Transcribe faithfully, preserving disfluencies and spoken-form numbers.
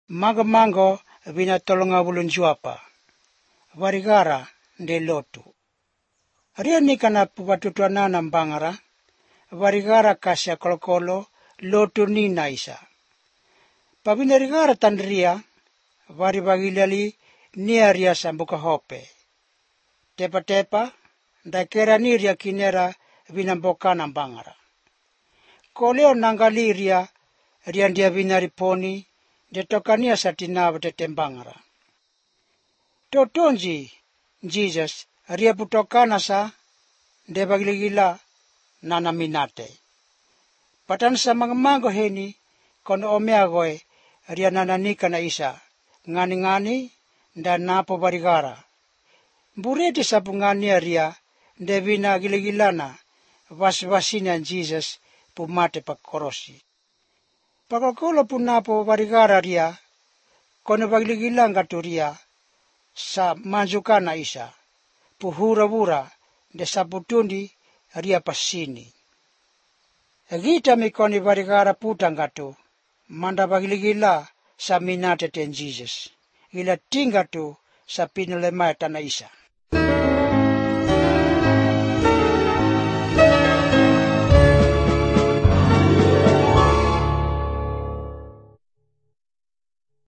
Mago-mango vina tolonga bulun juapa. Varigara de lotu. Ria nikana pupatutuana ng bangara. Varigara kasya kolokolo lotu ni naisa. Pabinarigara tandria. Varibagilali niaria sambuka hope. Tepa-tepa. Dakera niria kinera vinamboka ng bangara. Koleo nangaliria riandia vinariponi. Detokania sa tinawa tetembangara. Totonji, Jesus, ria putokana sa debagiligila nanaminate. Patan sa mga mago heni, kono omeagoy, ria nananika na isa, ngani-ngani, da napo barigara. Bureti sa pungani ria, devina giligilana, vas-vasina Jesus, pumate pagkorosi. Pagkakolo po na po varigara ria, kono bagligilang katuria, sa manjuka na isa, puhura-hura, de sabutundi ria pasini. Agita mi koni varigara putang katu, manda bagligila sa minate ten Jesus, ila tingatu sa pinulemay na isa.